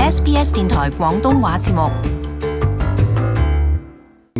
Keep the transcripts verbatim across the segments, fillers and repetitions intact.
S B S 電台廣東話節目。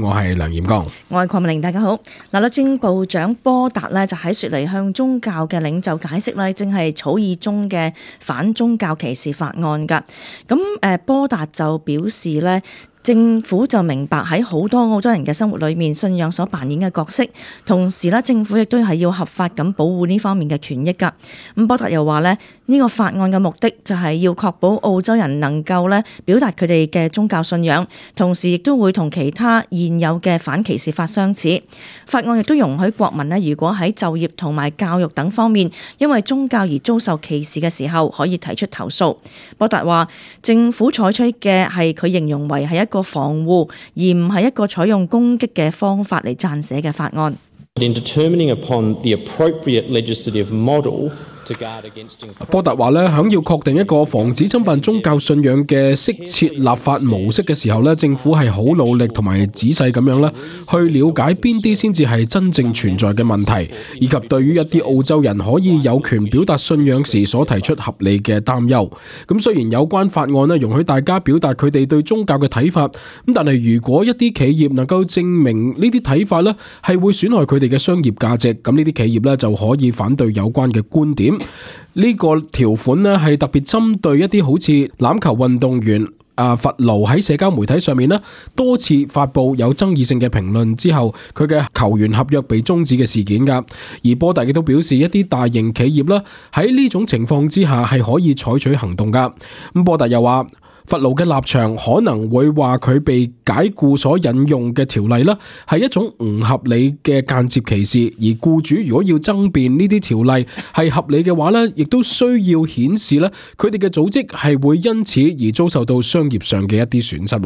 我係梁彥剛，我係鄺美玲，大家好。嗱，律政部長波達呢就喺雪梨向宗教嘅領袖解釋呢，正係草擬中嘅反宗教歧視法案噶。咁誒，波達就表示呢，政府就明白喺好多澳洲人嘅生活裏面，信仰所扮演嘅角色，同時咧政府亦都係要合法咁保護呢方面嘅權益㗎。咁波達又話咧，呢個法案嘅目的就係要確保澳洲人能夠咧表達佢哋嘅宗教信仰，同時亦都會同其他現有嘅反歧視法相似。法案亦都容許國民咧，如果喺就業同埋教育等方面因為宗教而遭受歧視嘅時候，可以提出投訴。波達話，政府採取嘅係佢形容為係一個防護，而唔係一個採用攻擊嘅方法嚟撰寫嘅法案。In determining upon the appropriate legislative model to guard against 波達話咧，響要確定一個防止侵犯宗教信仰嘅適切立法模式嘅時候咧，政府係好努力同埋仔細咁樣咧，去了解邊啲先至係真正存在嘅問題，以及對於一啲澳洲人可以有權表達信仰時所提出合理嘅擔憂。咁雖然有關法案咧容許大家表達佢哋對宗教嘅睇法，咁但係如果一啲企業能夠證明呢啲睇法咧係會損害佢哋嘅商業價值，咁呢啲企業咧就可以反對有關嘅觀點。呢個條款咧係特別針對一啲好似欖球運動員啊弗勞喺社交媒體上面咧多次發布有爭議性嘅評論之後，佢嘅球員合約被終止嘅事件噶。而波達亦都表示，一啲大型企業啦喺呢種情況之下係可以採取行動噶。咁波達又話，弗勞嘅立場可能會話佢被解僱所引用嘅條例啦，係一種唔合理嘅間接歧視，而僱主如果要爭辯呢啲條例係合理嘅話咧，亦都需要顯示咧佢哋嘅組織係會因此而遭受到商業上嘅一啲損失。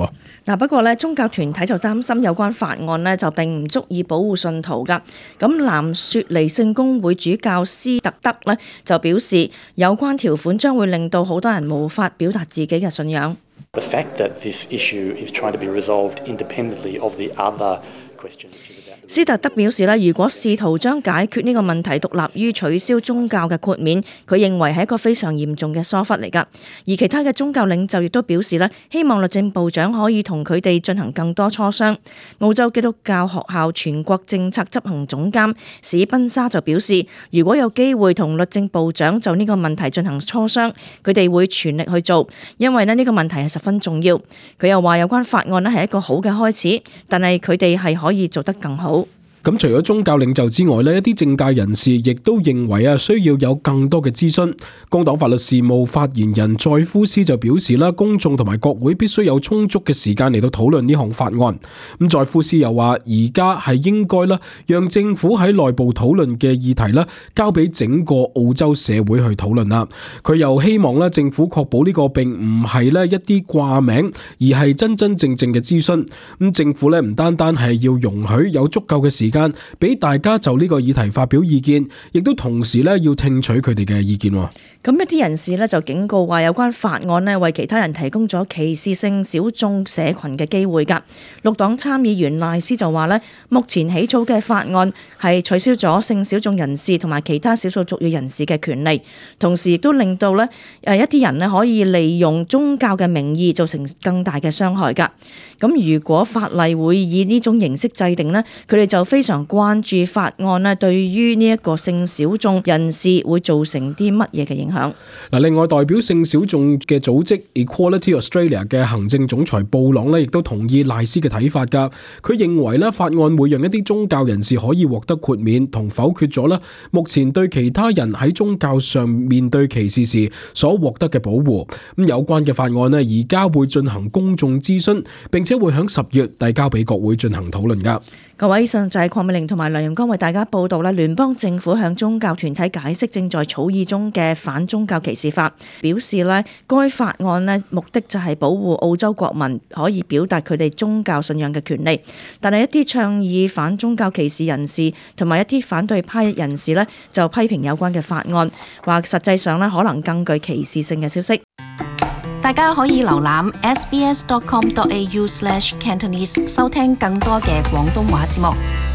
嗱，不過咧宗教團體就擔心有關法案咧就並唔足以保護信徒噶。咁南雪梨聖公會主教斯特德咧就表示，有關條款將會令到好多人無法表達自己嘅信仰。The fact that this issue is trying to be resolved independently of the other questions. 斯特德表示咧，如果試圖將解決呢個問題獨立於取消宗教嘅豁免，佢認為係一個非常嚴重嘅疏忽嚟㗎。而其他嘅宗教領袖亦都表示咧，希望律政部長可以同佢哋進行更多磋商。澳洲基督教學校全國政策執行總監史賓莎就表示，如果有機會同律政部長就呢個問題進行磋商，佢哋會全力去做，因為咧呢個問題係十分重要。佢又話有關法案咧係一個好嘅開始，但係佢哋係可以做得更好。咁除咗宗教領袖之外呢，一啲政界人士亦都認為啊，需要有更多嘅諮詢。工黨法律事務發言人載夫斯就表示啦，公眾同埋國會必須有充足嘅時間嚟到討論呢項法案。咁載夫斯又話，而家係應該啦，讓政府喺內部討論嘅議題啦，交俾整個澳洲社會去討論啦。佢又希望咧，政府確保呢個並唔係咧一啲掛名，而係真真正正嘅諮詢。咁政府咧唔單單係要容許有足夠嘅時間間俾大家就呢個議題發表意見，亦都同時咧要聽取佢哋嘅意見。咁一啲人士咧就警告話，有關法案咧為其他人提供咗歧視性小眾社群嘅機會㗎。綠黨參議員賴斯就話咧，目前起草嘅法案係取消咗性小眾人士同埋其他少數族裔人士嘅權利，同時亦都令到咧誒一啲人咧可以利用宗教嘅名義造成更大嘅傷害㗎。咁如果法例會以呢種形式制定呢，佢哋就非常關注法案呢對於呢一個性小眾人士會造成啲乜嘢嘅影響。嗱，另外代表性小眾嘅組織 Equality Australia 嘅行政總裁布朗呢，亦都同意賴斯嘅睇法㗎。佢認為呢法案會讓一啲宗教人士可以獲得豁免，同否決咗呢目前對其他人喺宗教上面對歧視時所獲得嘅保護。咁有關嘅法案呢，而家會進行公眾諮詢，並且會喺十月遞交俾國會進行討論㗎。各位，以上就係鄺美玲同埋梁彥剛為大家報道啦。聯邦政府向宗教團體解釋正在草擬中嘅反宗教歧視法，表示咧該法案咧目的就係保護澳洲國民可以表達佢哋宗教信仰嘅權利。但係一啲倡議反宗教歧視人士同埋一啲反對派人士咧就批評有關嘅法案，話實際上咧可能更具歧視性嘅消息。大家可以瀏覽 s b s dot com dot a u slash cantonese 收聽更多嘅廣東話節目。